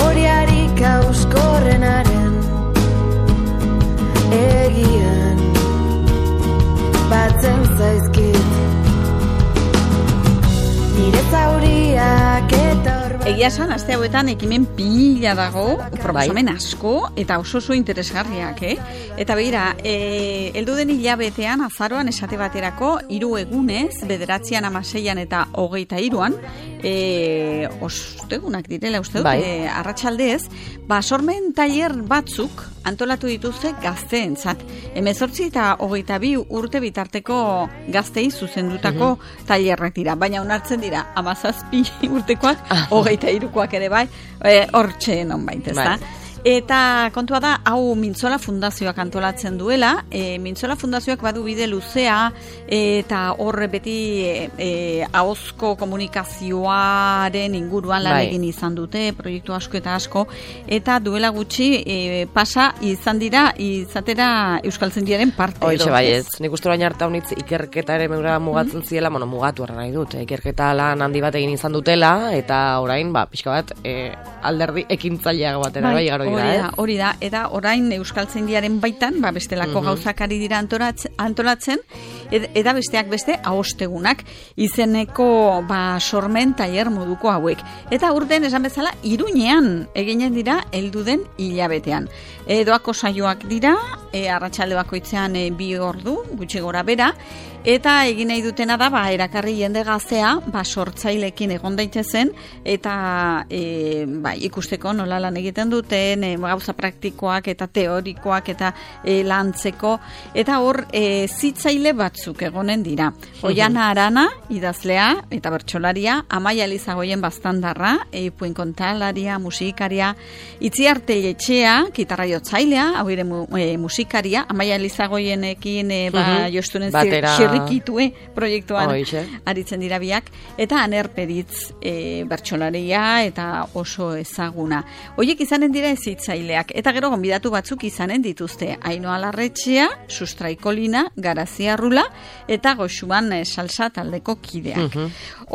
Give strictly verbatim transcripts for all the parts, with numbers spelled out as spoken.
memoriarik auskorrenaren egian batzen zaizkit nire zauriak eta Egia esan, aste hauetan ekimen pila dago, proposamen asko, eta oso oso interesgarriak, eh? Eta begira, e, heldu den hilabetean, azaroan esate baterako, hiru egunez, bederatzian, amaseian eta hogeita hiruan, e, ostegunak direla, uste dut, e, arratsaldez, ba, sormen tailer batzuk antolatu dituzte gazteentzat. Hemezortzi eta hogeita bi urte bitarteko gaztei zuzendutako mm-hmm. tailerrak dira, baina onartzen dira, hamazazpi urtekoak, hogeita hirukoak ere bai, hortxe non bait, ez da? Eta kontua da, hau Mintzola Fundazioak antolatzen duela, e, Mintzola Fundazioak badu bide luzea, e, eta hor beti e, e, ahozko komunikazioaren inguruan lan egin izan dute, proiektu asko eta asko, eta duela gutxi e, pasa izan dira, izatera Euskaltzaindiaren parte. Hoize bai ez, nik uste baina harta honitz ikerketa ere meura mugatzen mm-hmm. ziela, bueno, mugatu erra nahi dut, ikerketa lan handi bat egin izan dutela, eta orain, ba, pixka bat, e, alderdi ekintzaileago batera, bai, garo Hori da, hori da, eta orain Euskaltzaindiaren baitan, ba, bestelako mm-hmm. gauzak ari dira antolatzen, antolatzen ed, eta besteak beste ahostegunak izeneko ba, sormen tailer moduko hauek. Eta urten esan bezala, Iruñean eginen dira heldu den hilabetean. E, doako saioak dira, e, arratsalde bakoitzean e, bi ordu, gutxi gora bera, eta egin nahi dutena da, ba, erakarri jende gaztea, ba, sortzailekin egon daitezen, eta e, ba, ikusteko nola lan egiten duten, e, gauza praktikoak eta teorikoak eta e, lantzeko, eta hor e, zitzaile batzuk egonen dira. Oiana Arana, idazlea eta bertsolaria, Amaia Elizagoien baztandarra, e, puinkontalaria, musikaria, Itziarte Etxea, gitarra jotzailea, hau ere mu, e, musikaria, Amaia Elizagoienekin e, ba, uh-huh. jostunen zirrikitue proiektuan Oixe. Aritzen dira biak, eta Aner Peritz e, bertsolaria eta oso ezaguna. Hoiek izanen dira ezitzaileak, eta gero gonbidatu batzuk izanen dituzte. Ainoa Larretxea, Sustraikolina, Garazia Rula, eta Goxuan e, salsa taldeko kideak. Uh-huh.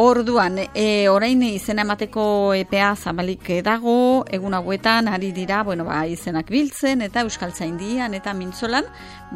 Orduan, e, orain izena emateko epea zabalik dago, egun hauetan ari dira, bueno, ba, izenak biltzen, eta Euskaltzaindian, eta Mintzolan,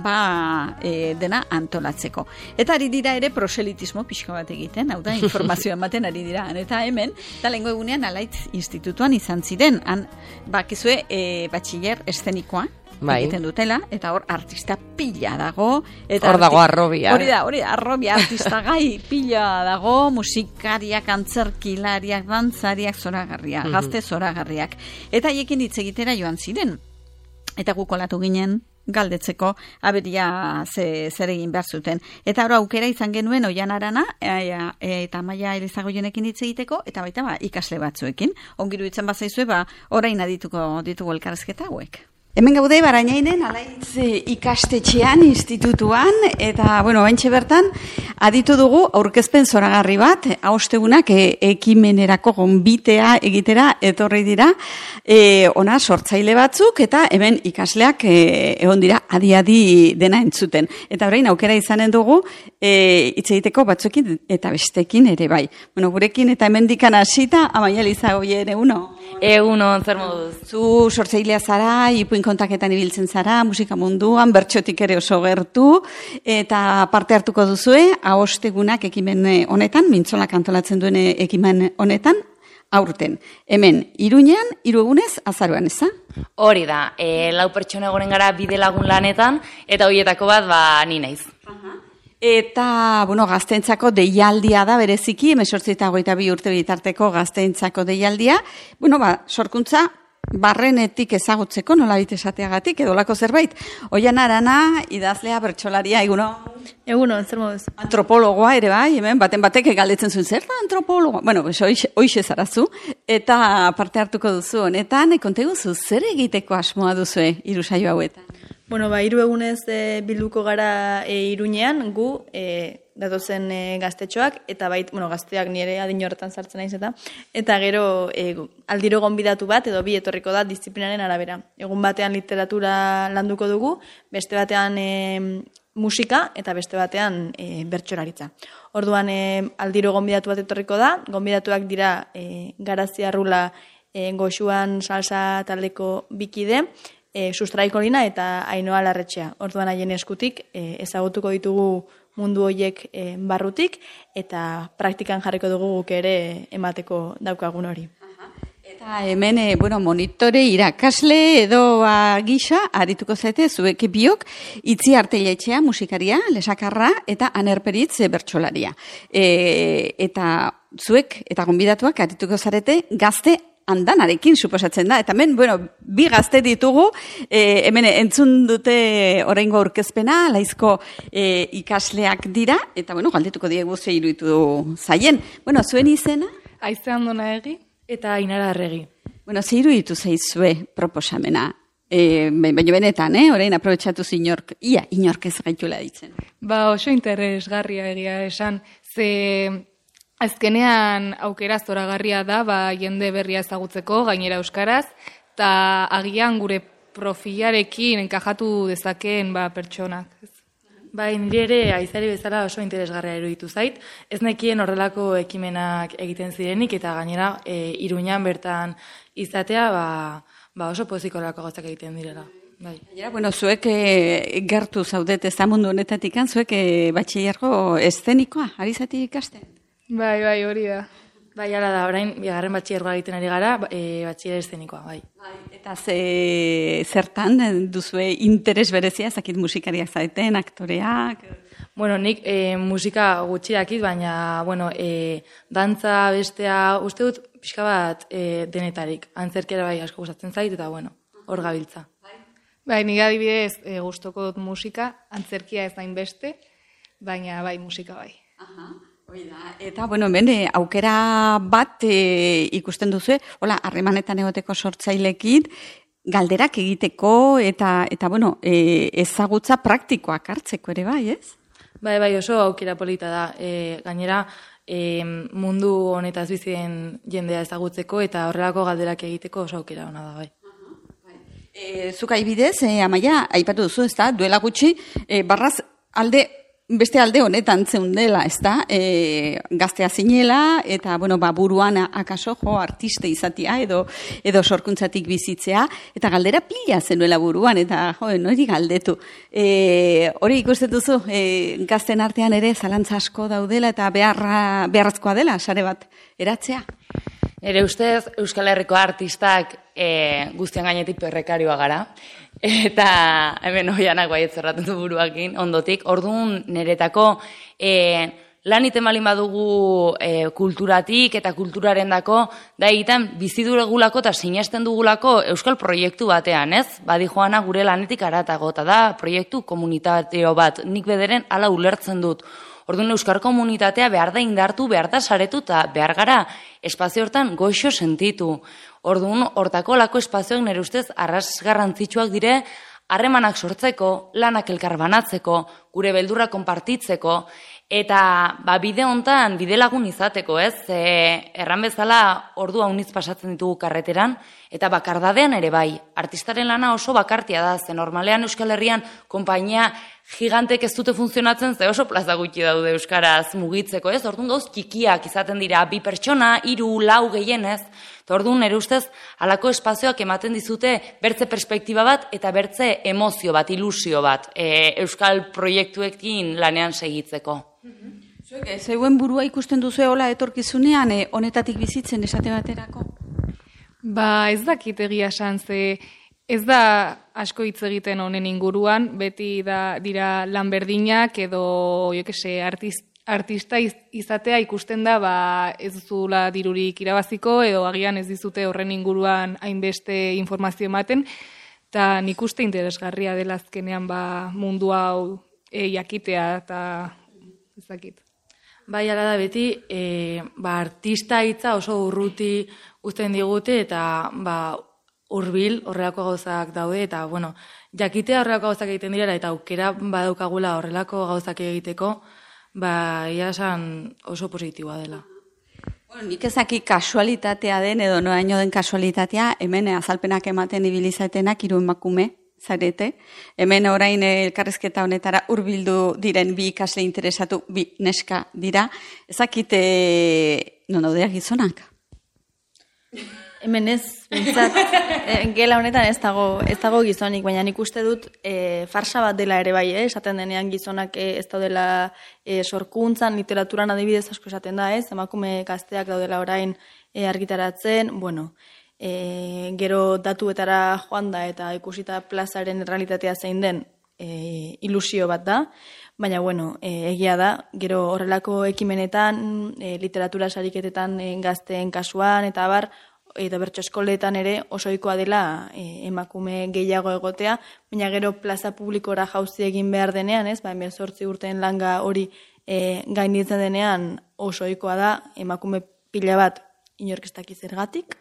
ba, e, dena antolatzeko. Eta ari dira ere proselitismo pixka bat egiten, hau da, informazioa ematen ari dira. Eta hemen, eta lehengo egunean Alaitz Institutuan izan ziren, han, bakizue, e, batxiller eszenikoa, bai. Egiten dutela, eta hor artista pila dago. Eta hor dago arrobia. Hori da, hori da, arrobia artista gai pila dago, musikariak, antzerkilariak, dantzariak, zoragarriak, mm-hmm. gazte zoragarriak. Eta haiekin hitz egitera joan ziren. Eta gukolatu ginen, galdetzeko aberia ze, zer egin behar zuten. Eta hori aukera izan genuen Oian Arana e, e, eta Amaia Elizagoienekin hitz egiteko, eta baita ba, ikasle batzuekin. Ongiru itzen bazaizue, ba, orain adituko ditugu elkarrezketa hauek. Hemen gaude Barainainen Alaitz ikastetxean, institutuan, eta, bueno, baintxe bertan, aditu dugu aurkezpen zoragarri bat, ahostegunak e, ekimenerako gonbitea egitera etorri dira, e, ona sortzaile batzuk, eta hemen ikasleak e, egon dira adi-adi dena entzuten. Eta orain aukera izanen dugu, e, hitz egiteko batzuekin eta bestekin ere bai. Bueno, gurekin eta hemendikan hasita, Amaia Elizagoien eguno? Eguno, zer moduz. Zu sortzailea zara, ipuin kontaketan ibiltzen zara, musika munduan, bertxotik ere oso gertu, eta parte hartuko duzue, ahostegunak ekimen honetan, Mintzolak antolatzen duen ekimen honetan, aurten. Hemen, Iruñean, hiru egunez, azaroan, ez da? Hori da, e, lau pertsona egonen gara bide lagun lanetan, eta horietako bat, ba, ni naiz. Eta, bueno, gazteentzako deialdia da bereziki, hemezortzi eta hogeita bi urte bitarteko gazteentzako deialdia. Bueno, ba, sorkuntza barrenetik ezagutzeko, nola bit esateagatik, edo lako zerbait. Oian Arana, idazlea, bertsolaria, eguno? Eguno, zer moduz. Antropologoa ere bai, hemen, baten batek galdetzen zuen, zer da antropologoa? Bueno, hoixe zarazu, eta parte hartuko duzu honetan, konteguzu, zer egiteko asmoa duzue irusaio hauetan? Bueno, ba, hiru egunez e, bilduko gara e, Iruñean, gu, e, datozen e, gaztetxoak, eta bait, bueno, gazteak nire adin horretan sartzen naiz eta, eta gero e, aldiro gonbidatu bat, edo bi etorriko da disiplinaren arabera. Egun batean literatura landuko dugu, beste batean e, musika, eta beste batean e, bertsolaritza. Orduan, e, aldiro gonbidatu bat etorriko da, gonbidatuak dira e, Garazia Rula e, Goxuan salsa taldeko bikide, e, Sustraikolina eta Ainoa Larretxea. Orduan haien eskutik e, ezagutuko ditugu mundu horiek e, barrutik eta praktikan jarriko dugu guk ere emateko daukagun hori. Eta hemen, e, bueno, monitore irakasle edo ba, gisa, arituko zaite, zuek biok, Itzi Arteiletxea musikaria, lesakarra, eta Anerperitz e, bertsolaria. E, eta zuek, eta gonbidatuak, arituko zarete, gazte andanarekin suposatzen da. Eta hemen, bueno, bi gazte ditugu, e, hemen entzun dute oraingo aurkezpena, laizko e, ikasleak dira, eta, bueno, galdetuko diegu ze iruditu zaien. Bueno, zuen izena? Aize Andona Egi. Eta Ainara Arregi. Bueno, ze iruditu zaizue proposamena? E, baina benetan, eh? Orain aprobetxatu inork, ia, inork ez gaitula ditzen. Ba, oso interesgarria egia esan, ze azkenean aukera zoragarria da, ba, jende berria ezagutzeko, gainera euskaraz, eta agian gure profilarekin enkajatu dezakeen ba, pertsonak. Bai, nire ere aizari bezala oso interesgarria iruditu zait. Ez nekien horrelako ekimenak egiten zirenik eta gainera e, Iruñan bertan izatea ba, ba oso pozikorako gauzak egiten direla. Bai. Ja, bueno, zuek e, gertu zaudet ez da mundu honetatik, zuek e, batxillergo eszenikoa, ari zati ikasten? Bai, bai, hori da. Bai, ala da, orain, bigarren batxillergoa egiten ari gara, e, batxiller eszenikoa, bai. Bai. Eta ze, zertan duzue interes berezia, zakit musikariak zaiten, aktoreak? Bueno, nik e, musika gutxi dakit, baina, bueno, e, dantza bestea, uste dut, pixka bat e, denetarik. Antzerkera bai asko gustatzen zait, eta, bueno, hor gabiltza. Bai, nik adibidez e, gustoko dut musika, antzerkia ez dain beste, baina bai, musika bai. Aha. Oida, eta, bueno, hemen, aukera bat e, ikusten duzu, hola, harremanetan egoteko sortzailekin, galderak egiteko, eta, eta bueno, e, ezagutza praktikoak hartzeko ere bai, ez? Bai, bai, oso aukera polita da. E, gainera, e, mundu honetaz bizien jendea ezagutzeko, eta horrelako galderak egiteko oso aukera ona da, bai. E, zuk aibidez, e, Amaia, aipatu duzu, ez da, duela gutxi, e, barraz alde, beste alde honetan zeundela, ez da, e, gaztea zinela, eta, bueno, ba, buruan akaso, jo, artiste izatea, edo, edo sorkuntzatik bizitzea, eta galdera pila zenuela buruan, eta, jo, nori galdetu. E, hori ikusten duzu, e, gazten artean ere zalantza asko daudela, eta beharra, beharrazkoa dela, sare bat, eratzea? Ere ustez, Euskal Herriko artistak e, guztian gainetik perrekarioa gara. Eta hemen hoianak baiet zerraten du buruakin, ondotik. Orduan niretako e, lan iten balin badugu e, kulturatik eta kulturaren dako, da egiten bizi dugulako eta sinesten dugulako euskal proiektu batean, ez? Badi joana gure lanetik aratago, eta da proiektu komunitateo bat, nik bederen hala ulertzen dut. Orduan euskal komunitatea behar da indartu, behar da saretu eta behar gara espazio hortan goxo sentitu. Orduan hortako lako espazioak nire ustez arras garrantzitsuak dire harremanak sortzeko, lanak elkar banatzeko, gure beldurra konpartitzeko, eta ba, bide hontan bide lagun izateko, ez? E, erran bezala ordu haunitz pasatzen ditugu karreteran, eta bakardadean ere bai. Artistaren lana oso bakartia da, ze normalean Euskal Herrian konpainia gigantek ez dute funtzionatzen, ze oso plaza gutxi daude euskaraz mugitzeko, ez? Orduan gauz txikiak izaten dira, bi pertsona, hiru, lau gehienez. Orduan nire ustez halako espazioak ematen dizute bertze perspektiba bat eta bertze emozio bat, ilusio bat, e, euskal proiektuekin lanean segitzeko. Zuek, zeuen burua ikusten duzu hola etorkizunean, e, honetatik bizitzen esate baterako? Ba, ez dakit egia esan, ze ez da asko hitz egiten honen inguruan, beti da dira lan berdinak edo, jo kese, artist, artista izatea ikusten da, ba, ez duzula dirurik irabaziko, edo agian ez dizute horren inguruan hainbeste informazio ematen, eta nik uste interesgarria dela azkenean ba, mundu hau e, jakitea, eta ez dakit. Bai, ala da beti, e, ba, artista hitza oso urruti uzten digute, eta ba, hurbil horrelako gauzak daude, eta bueno, jakitea horrelako gauzak egiten direla, eta aukera badaukagula horrelako gauzak egiteko, ba, ia esan oso positiboa dela. Bueno, nik ezaki kasualitatea den, edo noaino den kasualitatea, hemen azalpenak ematen ibilizatenak hiru emakume zarete. Hemen orain elkarrezketa honetara hurbildu diren bi ikasle interesatu, bi neska dira. Ezakite non daudeak gizonak? Hemen ez, bintzat, e, gela honetan ez dago, ez dago gizonik, baina nik uste dut e, farsa bat dela ere bai, eh? Esaten denean gizonak e, ez daudela e, sorkuntzan, literaturan adibidez asko esaten da, ez? Emakume gazteak daudela orain e, argitaratzen, bueno, e, gero datuetara joan da eta ikusita plazaren realitatea zein den e, ilusio bat da, baina, bueno, e, egia da, gero horrelako ekimenetan, e, literatura sariketetan e, gazteen kasuan, eta bar, eta bertso eskoletan ere oso ohikoa dela e, emakume gehiago egotea, baina gero plaza publikora jauzi egin behar denean, ez, ba, hemezortzi urteen langa hori e, gainditzen denean oso ohikoa da emakume pila bat inork ez daki zergatik,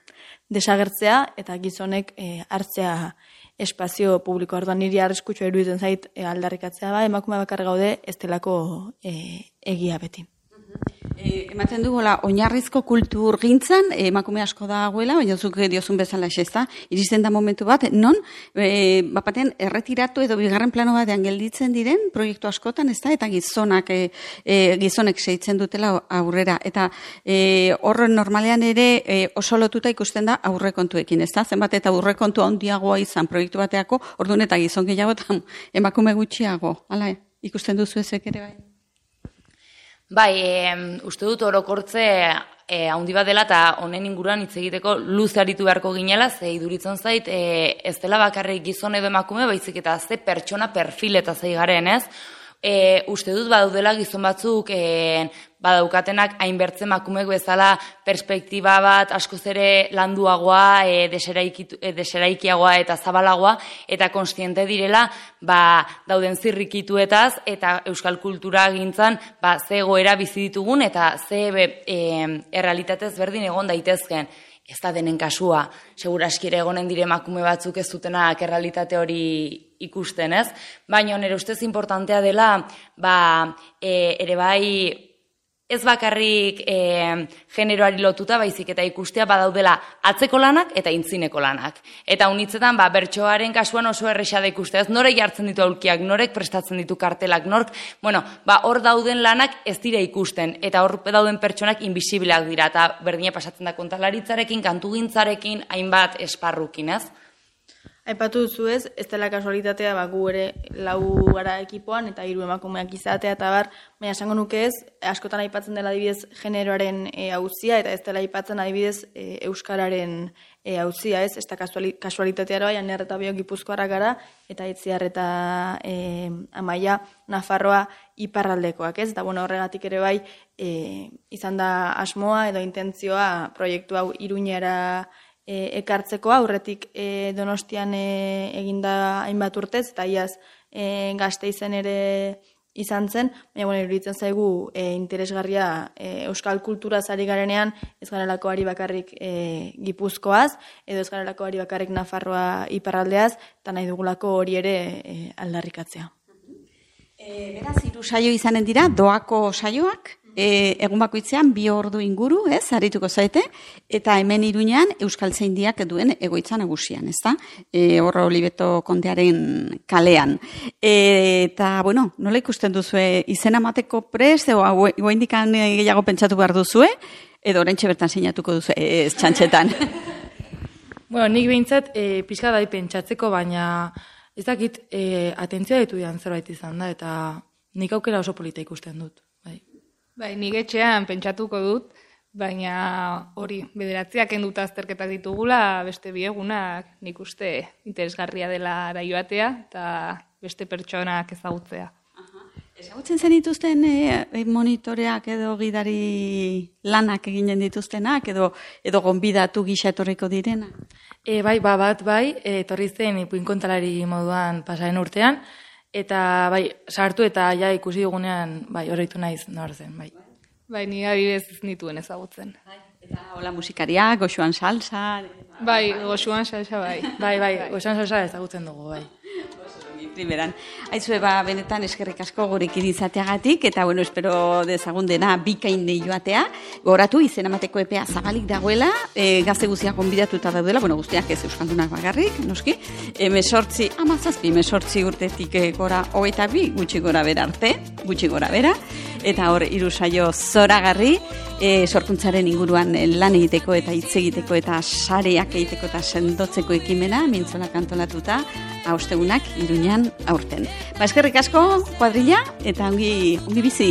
desagertzea eta gizonek e, hartzea espazio publiko. Orduan niri arriskutsua iruditzen zait e, aldarrikatzea ba, emakume bakar gaude ez delako e, egia beti. E, ematen dugola, oinarrizko kultur gintzan, e, emakume asko dagoela, baina zuk diozun bezala ez, iristen da momentu bat, non, e, bapatean erretiratu edo bigarren plano batean gelditzen diren proiektu askotan, ez da, eta gizonak, e, e, gizonek seitzen dutela aurrera, eta e, horren normalean ere e, oso lotuta ikusten da aurrekontuekin, ez da, zenbat eta aurrekontu handiagoa izan proiektu bateako, orduan eta gizon gehiago eta emakume gutxiago, hala, ikusten duzu ezek ere bai? Bai, e, uste dut orokortze e, handi bat dela eta honen inguruan hitz egiteko luze aritu beharko ginela, ze iduritzen zait, e, ez dela bakarrik gizon edo emakume, baizik eta ze pertsona perfil eta zei garen, ez? E, uste dut badaudela gizon batzuk e, badaukatenak hainbertze emakumeek bezala perspektiba bat askoz ere landuagoa, e, deseraikitu, e, deseraikiagoa eta zabalagoa, eta konstiente direla ba, dauden zirrikituetaz eta euskal kultura gintzan ba, ze egoera bizi ditugun eta ze be, e, errealitatez berdin egon daitezken. Ez da denen kasua, seguraski ere egonen dire emakume batzuk ez dutenak errealitate hori ikusten, ez? Baina nire ustez importantea dela, ba, e, ere bai, ez bakarrik e, generoari lotuta, baizik eta ikustea badaudela atzeko lanak eta intzineko lanak. Eta unitzetan, ba, bertsoaren kasuan oso erresa da ikustea, ez norek jartzen ditu aulkiak, norek prestatzen ditu kartelak, nork, bueno, ba, hor dauden lanak ez dira ikusten, eta hor dauden pertsonak invisibileak dira, eta berdina pasatzen da kontalaritzarekin, kantugintzarekin, hainbat esparrukin, ez? Aipatu duzu ez, ez dela kasualitatea, ba, gu ere lau gara ekipoan eta hiru emakumeak izatea eta bar, baina esango nuke ez, askotan aipatzen dela adibidez generoaren e, auzia eta ez dela aipatzen adibidez e, euskararen e, auzia ez, ez da kasualitatea bai, aner eta biok Gipuzkoarrak gara eta Itziar eta e, Amaia Nafarroa iparraldekoak ez, eta bueno, horregatik ere bai e, izan da asmoa edo intentzioa proiektu hau Iruñera E, ekartzeko aurretik e, Donostian e, eginda hainbat urtez, eta iaz e, Gasteizen ere izan zen, baina bueno, iruditzen zaigu e, interesgarria e, euskal kultura zari garenean ez garelako ari bakarrik e, Gipuzkoaz, edo ez garelako ari bakarrik Nafarroa iparraldeaz, eta nahi dugulako hori ere e, aldarrikatzea. E, beraz, hiru saio izanen dira, doako saioak, E, egun bakoitzean bi ordu inguru, ez, arituko zaite, eta hemen Iruñean Euskaltzaindiak duen egoitza nagusian, ez da? E, horro Olibeto kontearen kalean. E, eta, bueno, nola ikusten duzue, izena mateko prest, edo goindikan gehiago pentsatu behar duzue, edo oraintxe bertan sinatuko duzue, ez txantxetan. Bueno, nik behintzat, e, pixka da pentsatzeko, baina ez dakit, e, atentzioa ditu dian zerbait izan da, eta nik aukera oso polita ikusten dut, bai. Bai, nik etxean pentsatuko dut, baina hori, bederatziak enduta azterketak ditugula, beste biegunak nik uste interesgarria dela joatea eta beste pertsonak ezagutzea. Ezagutzen zen dituzten e, monitoreak edo gidari lanak eginen dituztenak edo edo gonbidatu gisa etorriko direna? E, bai, ba, bat bai, e, etorri zen ipuin kontalari moduan pasaren urtean, eta bai, sartu eta ja ikusi dugunean, bai, horreitu naiz nor zen, bai. Bai, ni adibidez ez nituen ezagutzen. Bai, eta hola musikaria, goxuan salsa. Bai, goxuan salsa bai. Bai, bai, goxuan salsa ezagutzen dugu, bai. Primeran. Aizue, ba, benetan eskerrik asko gurekin izateagatik, eta bueno, espero dezagun dena bikain joatea. Goratu, izen amateko epea zabalik dagoela, e, gazte guztiak gonbidatuta daudela, bueno, guztiak ez euskaldunak bagarrik, noski, emesortzi, amazazpi, emesortzi urtetik gora, hogeita bi, gutxi gora bera arte, gutxi gora bera, eta hor, hiru saio zoragarri, e, sorkuntzaren inguruan e, lan egiteko eta hitz egiteko eta sareak egiteko eta sendotzeko ekimena, mintzolak antolatuta, haustegunak Iruñan aurten. Ba, eskerrik asko, kuadrilla, eta ongi, ongi bizi.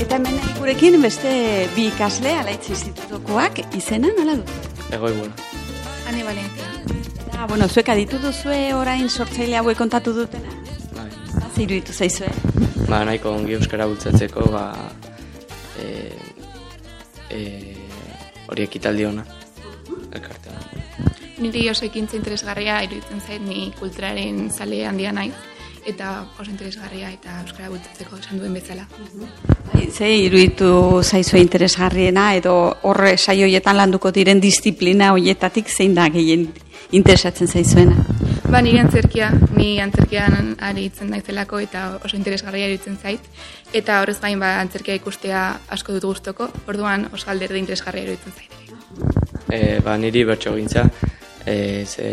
Eta hemen gurekin beste bi ikasle Alaitz Institutokoak izena nola du? Egoi bueno. Ane Valentia. Eta, bueno, zuek aditu duzue orain sortzaile hauek kontatu dutena? Bai. Zer iruditu zaizue? Ba, nahiko ongi euskara bultzatzeko, ba, e, e, hori ekitaldi ona, elkartean. Niri oso ekintza interesgarria iruditzen zait, ni kulturaren zale handia naiz, eta oso interesgarria eta euskara bultzatzeko esan duen bezala. Ze iruditu zaizue interesgarriena edo horre saio hoietan landuko diren disiplina hoietatik zein da gehien interesatzen zaizuena? Ba, nire antzerkia, ni antzerkian aritzen naizelako eta oso interesgarria iruditzen zait, eta horrez gain ba, antzerkia ikustea asko dut gustoko, orduan oso alderde interesgarria iruditzen zait. E, ba, niri bertso gintza, e, ze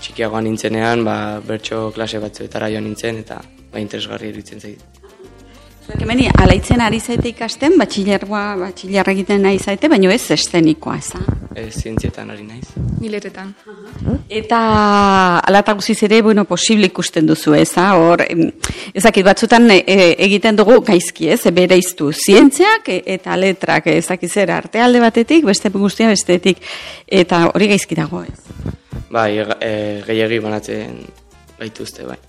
txikiagoan nintzenean, ba, bertso klase batzuetara joan nintzen, eta ba, interesgarria iruditzen zait. Zuek hemen Alaitzen ari zaite ikasten, batxilergoa, batxilerra egiten nahi zaite, baina ez eszenikoa, ez da? Ez zientzietan ari naiz. Niletetan. Eta alata guziz ere, bueno, posible ikusten duzu, ez da? Hor, ezakit batzutan e, egiten dugu gaizki, ez? Bere iztu zientziak e, eta letrak, ezakit zer, arte alde batetik, beste guztia bestetik, eta hori gaizki dago, ez? Bai, e, gehiagi banatzen gaituzte, bai.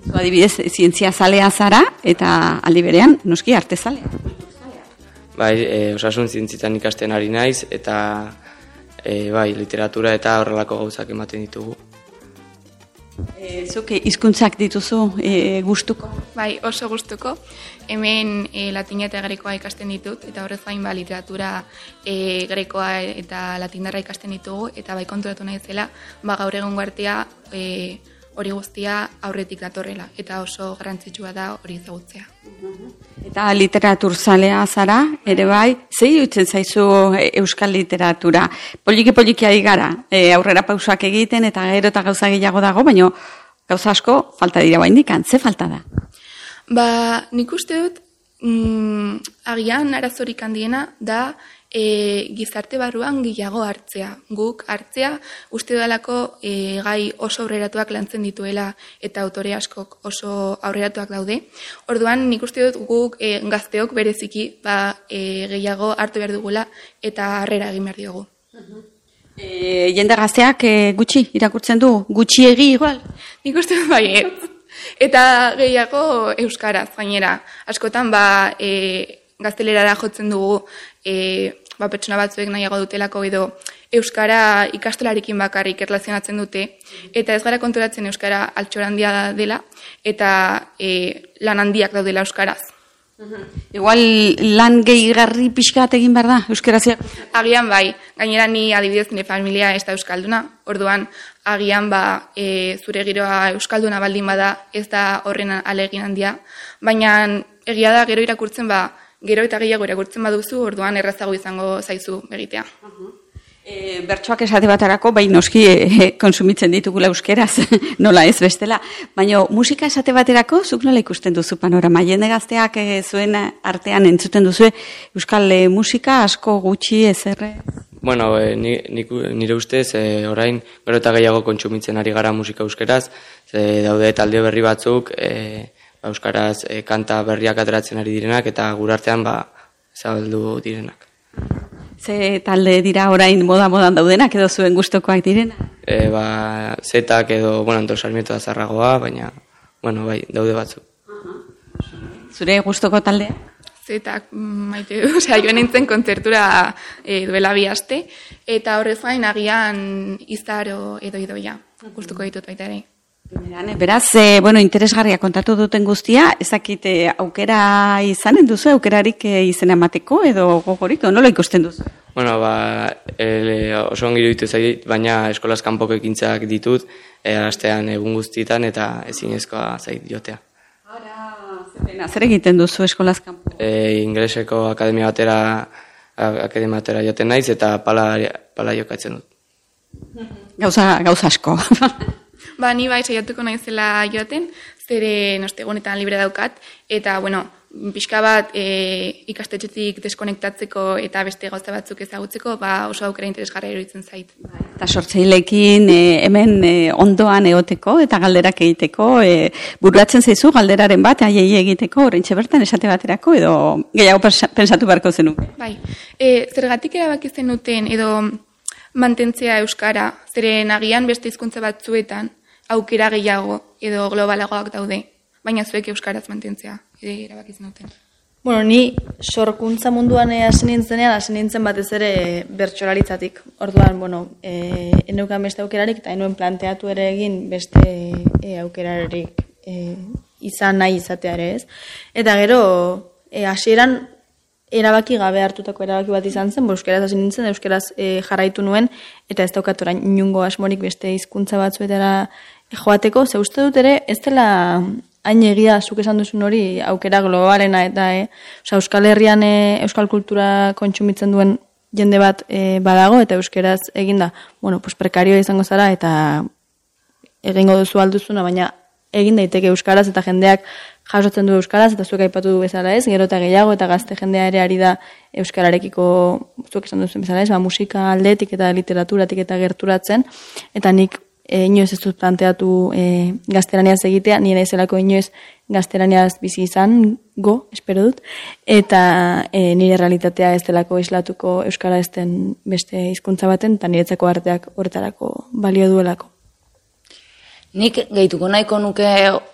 Zu adibidez, zientzia zalea zara, eta aldi berean, noski, arte zalea. Bai, e, osasun zientzietan ikasten ari naiz, eta e, bai, literatura eta horrelako gauzak ematen ditugu. E, zuk hizkuntzak dituzu e, gustuko? Bai, oso gustuko. Hemen e, latina eta grekoa ikasten ditut, eta horrez gain ba, literatura e, grekoa eta latindarra ikasten ditugu, eta bai konturatu nahi zela, ba, gaur egun artea e, hori guztia aurretik datorrela, eta oso garrantzitsua da hori ezagutzea. Eta literatur zalea zara, ere bai, zei dutzen zaizu euskal literatura? Poliki-poliki ari gara, e, aurrera pausak egiten, eta gero eta gauza gehiago dago, baina gauza asko falta dira baindikan, ze falta da? Ba, nik uste dut, mm, agian arazorik handiena da e, gizarte barruan gehiago hartzea. Guk hartzea uste dalako e, gai oso aurreratuak lantzen dituela eta autore askok oso aurreratuak daude. Orduan nik uste dut guk e, gazteok bereziki ba, e, gehiago hartu behar dugula eta harrera egin behar diogu. E, jende gazteak e, gutxi irakurtzen du, gutxiegi igual? Nik uste dut bai, ez. Eta gehiago euskaraz, gainera. Askotan ba, e, gaztelerara jotzen dugu e, ba, pertsona batzuek nahiago dutelako edo euskara ikastolarekin bakarrik erlazionatzen dute, eta ez gara konturatzen euskara altxor handia dela, eta e, lan handiak daudela euskaraz. Igual lan gehigarri pixkat egin behar da, euskaraz? Agian bai, gainera ni adibidez nire familia ez da euskalduna, orduan agian ba, e, zure giroa euskalduna baldin bada ez da horren alegin handia, baina egia da gero irakurtzen ba, gero eta gehiago irakurtzen baduzu, orduan errazago izango zaizu egitea. E, bertsoak esate batarako, bai noski e, konsumitzen ditugula euskeraz, nola ez bestela. Baina musika esate baterako, zuk nola ikusten duzu panorama? Jende gazteak e, zuen artean entzuten duzu euskal e, musika asko gutxi ezerre? Bueno, e, ni, ni, nire ustez, e, orain gero eta gehiago kontsumitzen ari gara musika euskeraz, ze daude talde berri batzuk, e, ba, euskaraz e, kanta berriak ateratzen ari direnak, eta gurartean ba, zabaldu direnak. Ze talde dira orain moda-modan daudenak edo zuen gustokoak direna? E, ba, zetak edo, bueno, Anton Sarmiento da zarragoa, baina, bueno, bai, daude batzuk. Zure gustoko taldea? Zetak, maite du, osea, joan nintzen kontzertura e, duela bi aste, eta horrez gain agian izaro edo idoia, gustuko ditut baita ere. Beraz, e, bueno, interesgarria kontatu duten guztia, ezakit e, aukera izanen duzu, aukerarik e, izena emateko edo gogorik, nola ikusten duzu? Bueno, ba, e, oso ongi iruditu zait, baina eskolaz kanpoko ekintzak ditut, e, astean egun guztietan eta ezinezkoa zait jotea. Ara, zer egiten duzu eskolaz kanpo? E, ingleseko akademia batera, akademia batera joten naiz eta pala, pala jokatzen dut. Gauza, gauza asko. Ba, ni bai saiatuko naizela joaten, zere ostegunetan libre daukat, eta, bueno, pixka bat e, ikastetxetik deskonektatzeko eta beste gauza batzuk ezagutzeko, ba, oso aukera interesgarria iruditzen zait. Eta sortzaileekin e, hemen e, ondoan egoteko eta galderak egiteko, e, bururatzen zaizu galderaren bat, aiei egiteko, oraintxe bertan esate baterako, edo gehiago pensatu beharko zenuke. Bai, e, zergatik erabaki zenuten edo mantentzea euskara, zeren agian beste hizkuntza batzuetan aukera gehiago edo globalagoak daude, baina zuek euskaraz mantentzea, ere erabaki zenuten. Bueno, ni sorkuntza munduan hasi nintzenean, hasi nintzen batez ere bertsolaritzatik. Orduan, bueno, e, eneukan beste aukerarik, eta enuen planteatu ere egin beste e, aukerarik e, izan nahi izatea ere ez. Eta gero, e, hasieran erabaki gabe hartutako erabaki bat izan zen, euskaraz hasi nintzen, euskaraz e, jarraitu nuen, eta ez daukat orain inungo asmorik beste hizkuntza batzuetara joateko, ze uste dut ere, ez dela hain egia zuk esan duzun hori aukera globalena eta e, oza, Euskal Herrian e, euskal kultura kontsumitzen duen jende bat e, badago, eta euskaraz eginda, bueno, pues prekarioa izango zara, eta egingo duzu alduzuna, baina egin daiteke euskaraz, eta jendeak jasotzen du euskaraz, eta zuek aipatu du bezala ez, gero eta gehiago, eta gazte jendea ere ari da euskararekiko, zuek esan duzen bezala ez, ba, musika aldetik eta literaturatik eta gerturatzen, eta nik e, inoiz ez dut planteatu e, gaztelaniaz egitea, nire naizelako inoiz gaztelaniaz bizi izan, go, espero dut, eta e, nire realitatea ez delako islatuko euskara ez den beste hizkuntza baten, eta niretzako arteak horretarako balio duelako. Nik gehituko nahiko nuke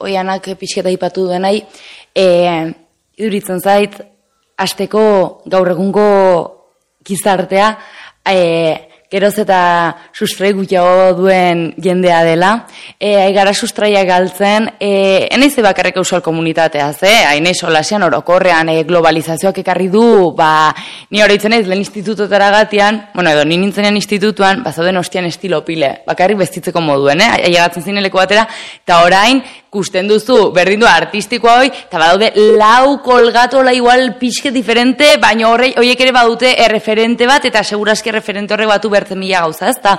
oianak pixketa ipatu duenai, e, iduritzen zait, hasteko gaur egungo gizartea, e, geroz eta sustrai gutxiago duen jendea dela, e, aigara sustraia galtzen, e, enaiz bakarrik euskal komunitateaz, eh? Hainei solasian orokorrean e, globalizazioak ekarri du, ba, ni oroitzen ez lehen institutotara gatian, bueno, edo, ni nintzenean institutuan, bazauden ostian estilo pile, bakarrik bestitzeko moduen, eh? Ailegatzen zineleko batera, eta orain, kusten duzu, berdin du artistikoa hoi, eta badaude lau kolgatola igual pixke diferente, baina horiek ere badute erreferente bat, eta segurazki erreferente horrek batu bertzen mila gauza, ez? Eta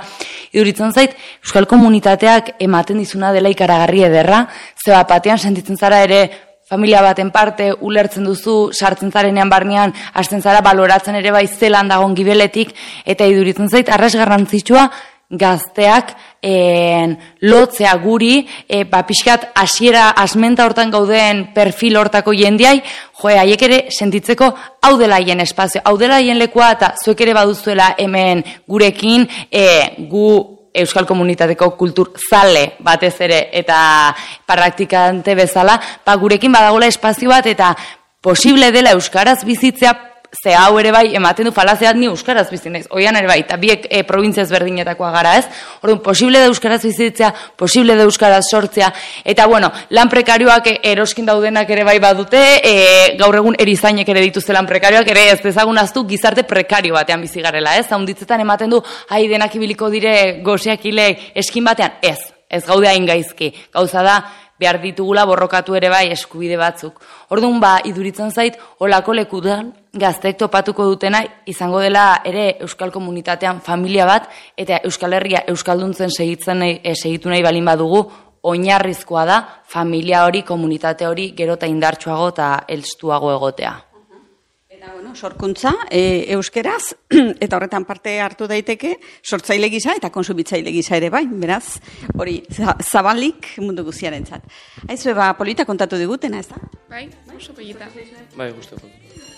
iduritzen zait, euskal komunitateak ematen dizuna dela ikaragarri ederra, zeba batean sentitzen zara ere familia baten parte, ulertzen duzu, sartzen zarenean barnean, hasten zara baloratzen ere bai zelan dagon gibeletik, eta iduritzen zait, arras garrantzitsua, gazteak en, lotzea guri, e, ba, pixkat hasiera asmenta hortan gauden perfil hortako jendiai, joe, haiek ere sentitzeko hau dela haien espazio, hau dela haien lekua, eta zuek ere baduzuela hemen gurekin, e, gu euskal komunitateko kultur zale batez ere, eta praktikante bezala, ba, gurekin badagola espazio bat, eta posible dela euskaraz bizitzea, ze hau ere bai, ematen du falazeat ni euskaraz bizi naiz, oian ere bai, eta biek e, probintziaz berdinetakoa gara ez, orduan, posible da euskaraz bizitzea, posible da euskaraz sortzea, eta bueno, lan prekarioak eroskin daudenak ere bai badute, e, gaur egun erizainek ere dituzte lan prekarioak, ere ez dezagunaztu gizarte prekario batean bizi garela ez, haunditzetan ematen du, hai denak ibiliko dire goseak hilek eskin batean, ez, ez gaude hain gaizki, gauza da, behar ditugula borrokatu ere bai eskubide batzuk. Orduan ba, iduritzen zait, olako lekudan gazteek topatuko dutena izango dela ere euskal komunitatean familia bat, eta Euskal Herria euskalduntzen segitzen nahi, e, segitu nahi balin badugu, oinarrizkoa da familia hori, komunitate hori gero eta indartsuago eta elstuago egotea. Eta, bueno, sorkuntza, e, euskeraz, eta horretan parte hartu daiteke, sortzaile gisa eta konsumitzaile gisa ere bai, beraz, hori, zabalik mundu guziaren zat. Aizue, ba, polita kontatu digutena, ez da? Bai, oso polita. Bai, guztoko.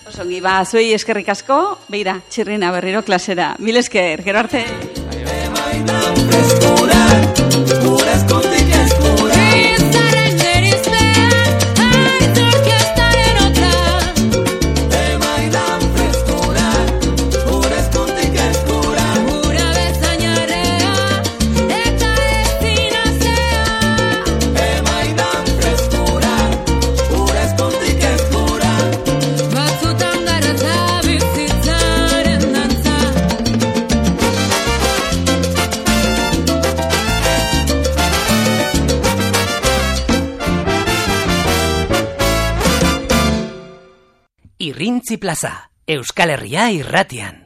Osongi, ba, zuei eskerrik asko, beira, txirrina berriro klasera. Mil esker, gero arte. Irrintzi Plaza, Euskal Herria irratian.